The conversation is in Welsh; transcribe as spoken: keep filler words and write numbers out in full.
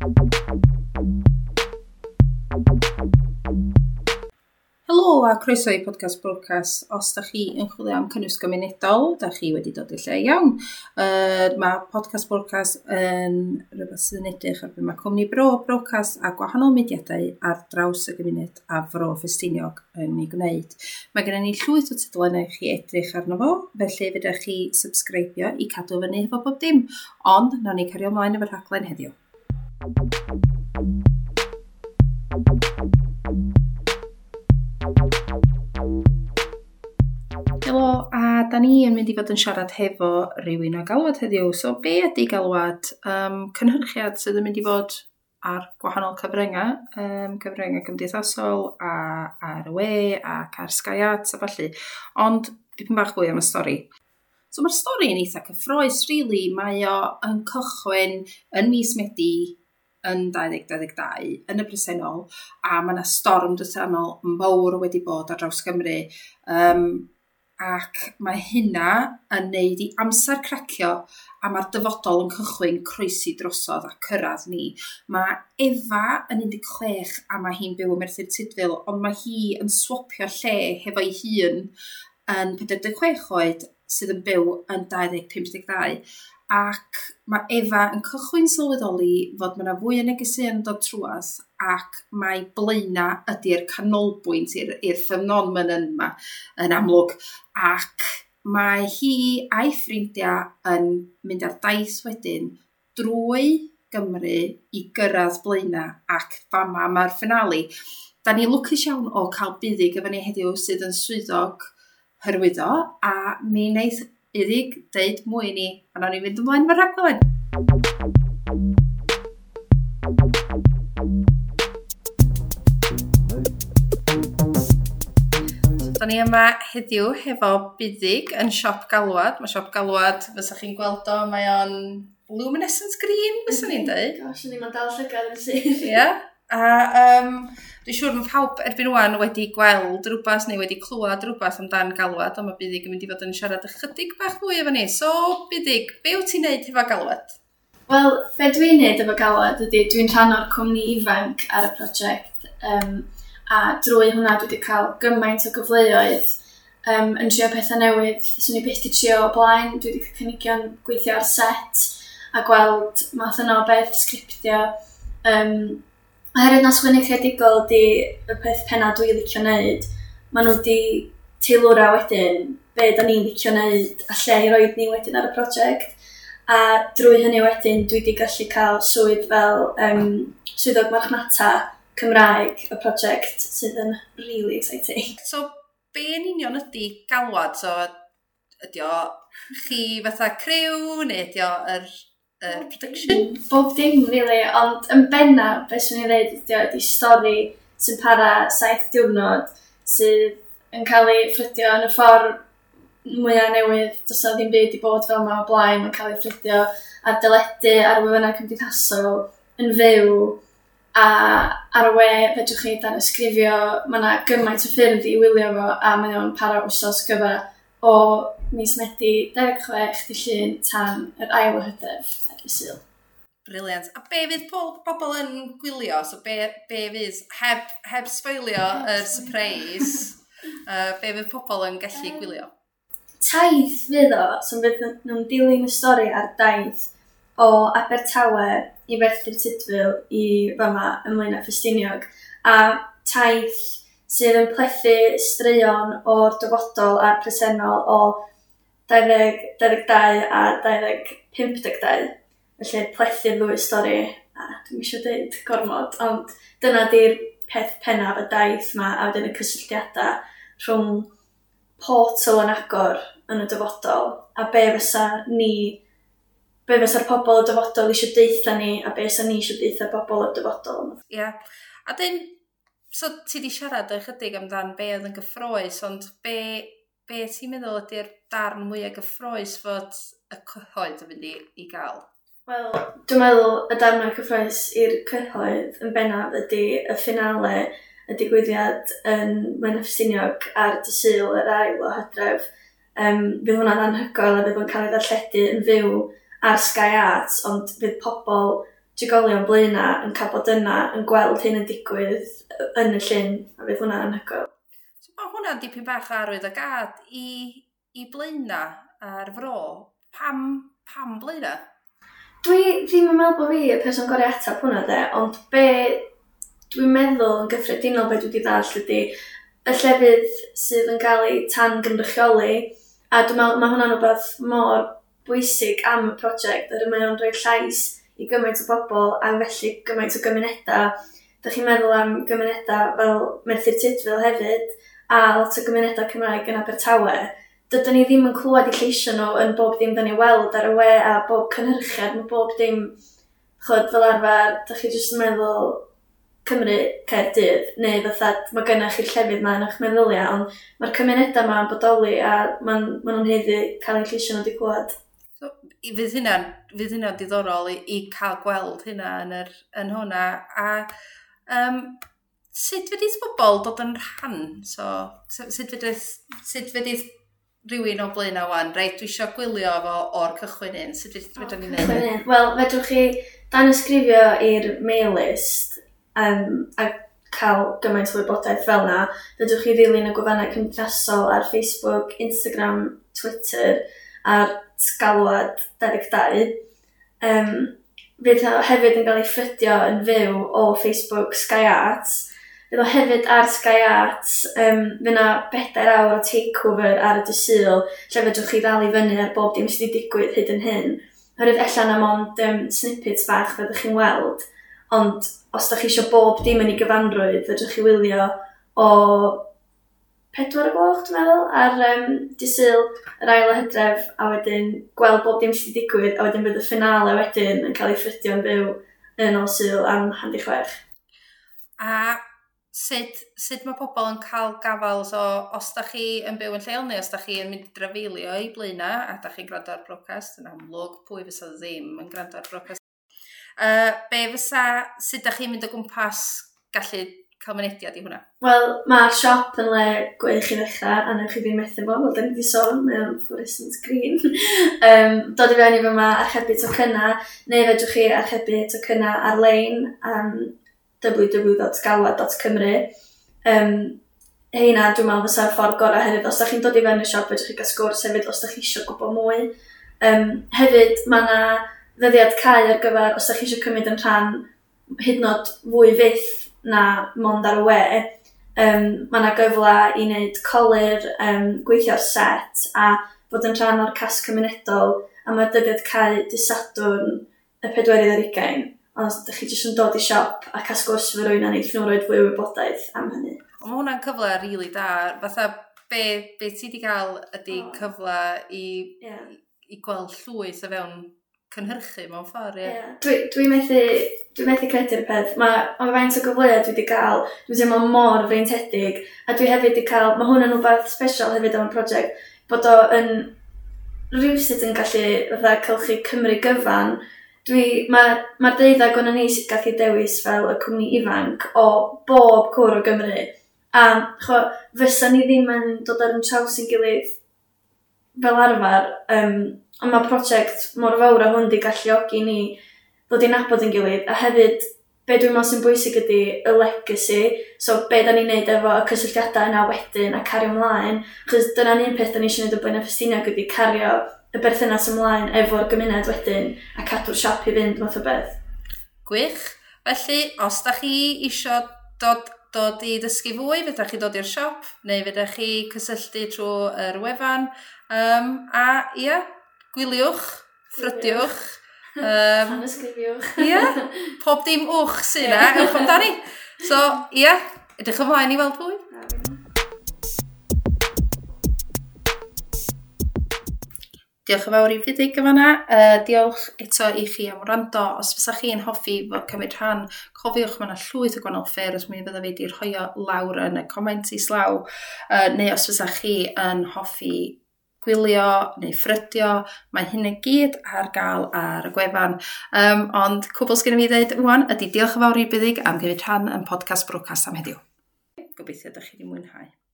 Helo a croeso i Podcast Brocas. Os da chi yn chwilio am cynnwys gymunedol, da chi wedi dod i'r lle iawn. Uh, mae Podcast Brocas yn rhywbeth sydd yn edrych ar be mae Cwmni Bro, Brocas a gwahanol mudiadau ar draws y gymuned a Fro Ffestiniog yn ei gwneud. Mae gennym ni llwyth o tudalennau i chi edrych arno fo, felly fedrwch chi subscribio i cadw fyny efo bob dim. Ond, nawn ni cario ymlaen efo'r rhaglen heddiw. Helo, a da ni yn mynd i fod yn siarad hefo rhywun o Galwad heddiw. So, be ydy Galwad? Um, cynhyrchiad sydd yn mynd i fod ar gwahanol cyfryngau, um, cyfryngau cymdeithasol a ar y we ac ar Sky Arts a ballu. Ond dipyn bach fwy am y stori. So mae'r stori yn eitha cyffrous, really. Mae o yn cychwyn yn mis Medi yn dau ddeg dau ddeg dau yn y presennol, a mae yna storm drydanol mawr wedi bod ar draws Cymru. Um, ac mae hynna yn neud i amser cracio a mae'r dyfodol yn cychwyn croesi drosodd a cyrraedd ni. Mae Efa yn un deg chwech a mae hi'n byw ym Merthyr Tudful, ond mae hi yn swopio lle hefo'i hun yn pedwar deg chwech oed sydd yn byw yn dau ddeg pump deg dau. Ac mae Efa yn cychwyn sylweddoli fod mae yna fwy o negeseuon yn dod trwadd ac mae Blaena ydy'r canolbwynt i'r, i'r ffenomen yma yn amlwg. Ac mae hi a'i ffrindiau yn mynd ar daith wedyn drwy Gymru i gyrraedd Blaena ac fama mae'r finale. Da ni lwcus iawn o cael Buddug efo ni heddiw sydd yn swyddog hyrwyddo, a mi wneith Buddug deud mwy i ni, a nawn ni fynd ymlaen efo'r rhaglen. Da ni yma heddiw hefo Buddug yn Siop Galwad. Mae Siop Galwad, fysa chi'n gweld o, mae o'n luminescent green, fysa ni'n dweud. Gosh, o'n i'n dal llygad yn syth. Ie. A um, dwi'n siŵr mae pawb erbyn ŵan wedi gweld rhywbeth neu wedi clywed rhywbeth amdan Galwad, ond mae Buddug yn mynd i fod yn siarad ychydig bach fwy efo ni. So, Buddug, be wyt ti'n neud hefo Galwad? Wel, be dwi'n neud efo Galwad ydy, dwi'n rhan o'r cwmni ifanc ar y prosiect, um, a drwy hwnna dwi wedi cael gymaint o gyfleoedd um, yn trio pethau newydd. Swn i byth 'di trio o blaen, dwi wedi cael cynigion gweithio ar set a gweld math yna o beth, sgriptio. Um, Oherwydd na sgwennu creadigol ydy y peth penna dwi'n licio wneud, maen nhw wedi teilwra wedyn be da ni'n licio wneud a lle i roed ni wedyn ar y prosiect. A drwy hynny wedyn dwi wedi gallu cael swydd fel um, swyddog marchnata Cymraeg y prosiect sydd yn really exciting. So, be yn union ydy Galwad? So, ydy o chi fatha criw neu ydy o yr, yr production? Bob dim, really, ond yn benna, be swn i'n dweud ydy o, ydy stori sy'n para saith diwrnod sydd yn cael ei ffrydio yn y ffordd mwyaf newydd. Does 'na ddim byd i bod fel yma o blaen. Mae'n cael ei ffrydio ar deledu, ar wefannau cymdeithasol, yn fyw, a ar y we fedrwch chi danysgrifio. Mae yna gymaint o ffyrdd i wylio fo, a mae o'n para wsos gyfa o mis Medi dau ddeg chwech dydd Llun tan yr ail o Hydref ar y Sul. Brilliant. A be fydd po- pobl yn gwylio? So be, be fydd, heb, heb sboilio yr surprise, uh, be fydd pobl yn gallu gwylio? Taith fydd o, so fydd nhw'n dilyn y stori ar daith o Abertawe i Ferthyr Tudful i fama ym Mlaenau Ffestiniog. A taith sydd yn plethu straeon o'r dyfodol a'r presennol o dau ddeg dau ddeg dau a dau ddeg pump deg dau. Felly plethu'r ddwy stori, a dwi'm isio deud gormod, ond dyna di'r peth pennaf y daith ma, a wedyn y cysylltiadau rhwng portal yn agor yn y dyfodol, a be fysa ni, be fysa'r pobl y dyfodol eisiau deutha ni, a be fysa ni eisiau deutha bobl y dyfodol. Ie. Yeah. A dyn, so ti di siarad ychydig amdan be oedd yn gyffrous, ond be, be ti'n meddwl ydy'r darn mwyaf gyffrous fod y cyhoedd yn mynd i, i gael? Wel, dwi'n meddwl y darn mwyaf cyffrous i'r cyhoedd yn bennaf ydy y finale, y digwyddiad yn Blaenau Ffestiniog ar dydd Sul yr ail o Hydref. Um, fydd hwnna'n anhygoel a fydd o'n cael ei ddarlledu yn fyw ar Sky Arts, ond fydd pobl trigolion Blaenau yn cael bod yna, yn gweld hyn yn digwydd yn y llyn, a fydd hwnna'n anhygoel. So mae hwnna'n dipyn bach arwydd o gad i, i Blaenau a'r fro. Pam, pam Blaenau? Dwi ddim yn meddwl bod fi y person gorau ateb hwnna de, ond be dwi'n meddwl yn gyffredinol be dwi wedi ddallt ydy y llefydd sydd yn cael eu tan gynrychioli, a dwi'n meddwl mae hwnna'n rhywbeth mor bwysig am y prosiect, yr mae o'n rhoi llais i gymaint o bobl a felly gymaint o gymunedau. Dych chi'n meddwl am gymunedau fel Merthyr Tudful hefyd, a lot o gymunedau Cymraeg yn Abertawe. Dydyn ni ddim yn clywed eu lleisio nhw yn bob dim dyn ni weld ar y we a bob cynhyrchiad, mae bob dim, chod, fel arfer, dych chi jyst yn meddwl Cymru, Caerdydd, neu fatha, mae gennych chi'r llefydd yma yn eich meddyliau, ond mae'r cymunedau yma yn bodoli a maen ma nhw'n haeddu cael eu lleisio nhw wedi clywed. So, fydd hynna'n, fydd hynna'n diddorol i, i cael gweld hynna yn, yr, yn hwnna. A um, sut fedith bobl dod yn rhan? So, sut fedith, sut fedith rhywun o Blaenau wan, reit, dwi eisiau gwylio fo o'r cychwyn un, sut fedrwn ni wneud? Wel, fedrwch chi danysgrifio i'r mail list um, a cael gymaint o wybodaeth fel na. Fedrwch chi ddilyn y gwefannau cymdeithasol ar Facebook, Instagram, Twitter a'r galwad dau ddeg dau. Um, fydd o hefyd yn cael ei ffrydio yn fyw o Facebook Sky Arts. Fydd o hefyd ar Sky Arts, um, fydd yna bedair awr o takeover ar y dydd Sul, lle fedrwch chi ddal i fyny ar bob dim sydd wedi digwydd hyd yn hyn. Oherwydd ella na mond um, snippets bach fyddwch chi'n weld, ond os da chi eisiau bob dim yn ei gyfanrwydd, fedrwch chi wylio o pedwar o gloch, dwi'n meddwl, ar um, dydd Sul, yr ail o Hydref, a wedyn gweld bob dim sydd wedi digwydd, a wedyn bydd y finale wedyn yn cael ei ffrydio'n byw yn ôl Sul am hanner di chwech. A sut, sut mae pobl yn cael gafal, so os da chi yn byw yn lleol neu os da chi yn mynd i drafeilio i Blaenau a da chi'n gwrando ar brocast, yn amlwg pwy fysa ddim yn gwrando ar brocast. Uh, be fysa, sut da chi'n mynd o gwmpas gallu cael mynediad i hwnna? Wel, mae'r siop yn le gwych i ddechrau, a newch chi ddim methu fo, fel da ni wedi sôn, mae o'n fluorescent green. um, dod i fewn i fyma archebu tocynnau, neu fedrwch chi archebu tocynnau ar-lein am w w w dot galwad dot cymru. Um, heina, dwi'n meddwl fysa'r ffordd gorau hefyd. Os da chi'n dod i fewn i'r siop, fedrwch chi gael sgwrs hefyd os da chi eisiau gwybod mwy. Um, hefyd, mae yna ddyddiad cau ar gyfer os da chi eisiau cymryd yn rhan hyd yn oed fwy fyth na mond ar y we. Um, mae yna gyfle i wneud colur, um, gweithio ar set a bod yn rhan o'r cast cymunedol, a mae dyddiad cau dydd Sadwrn y pedwerydd ar hugain. Ond os ydych chi jyst yn dod i siop a cael sgwrs efo rhywun a neith nhw roid fwy o wybodaeth am hynny. Ond mae hwnna'n cyfle rili really da. Fatha be, be ti wedi cael ydy oh. cyfle i, yeah. i, i gweld llwyth o fewn cynhyrchu mewn ffordd, ie. Yeah. Dwi, dwi methu, dwi methu credu'r peth. Mae ma faint o gyfleoedd dwi wedi cael, dwi'n teimlo mor freintiedig, a dwi hefyd wedi cael, mae hwn yn rhywbeth special hefyd am y prosiect, bod o yn rhywsut yn gallu fatha cylchu Cymru gyfan. Dwi, mae'r ma deuddag o'n ni sydd gallu dewis fel y cwmni ifanc o bob cwr o Gymru. A cho, fysa ni ddim yn dod ar yn traws yn gilydd fel arfer, um, ond mae prosiect mor fawr a hwn di galluogi ni ddod i nabod yn gilydd, a hefyd be dwi'n meddwl sy'n bwysig ydy y legacy, so be da ni'n neud efo y cysylltiadau yna wedyn a cario ymlaen, achos dyna'n un peth da ni eisiau neud o Blaenau Ffestiniog ydy cario y berthynas ymlaen efo'r gymuned wedyn a cadw'r siop i fynd math o beth. Gwych. Felly, os da chi isio dod, dod i ddysgu fwy, fedrwch chi dod i'r siop, neu fedrwch chi cysylltu trwy yr wefan. Um, a ia, gwyliwch, ffrydiwch. Um, Tanysgrifiwch. Ia, pob dim wch sy'n yna, ewch amdani. So, ia, edrych ymlaen i weld fwy. Diolch yn fawr i Fuddug yn fan'na. Uh, diolch eto i chi am wrando. Os fysa chi'n hoffi fod cymryd rhan, cofiwch mae yna llwyth o gwahanol ffyrdd, mi fydda fi wedi rhoi o lawr yn y comments islaw. Uh, neu os fysa chi yn hoffi gwylio neu ffrydio, mae hyn i gyd ar gael ar y gwefan. Um, ond cwbl sgen i fi ddeud ŵan ydy diolch yn fawr i Buddug am gymryd rhan yn podcast Brocast am heddiw. Gobeithio ydych chi wedi mwynhau.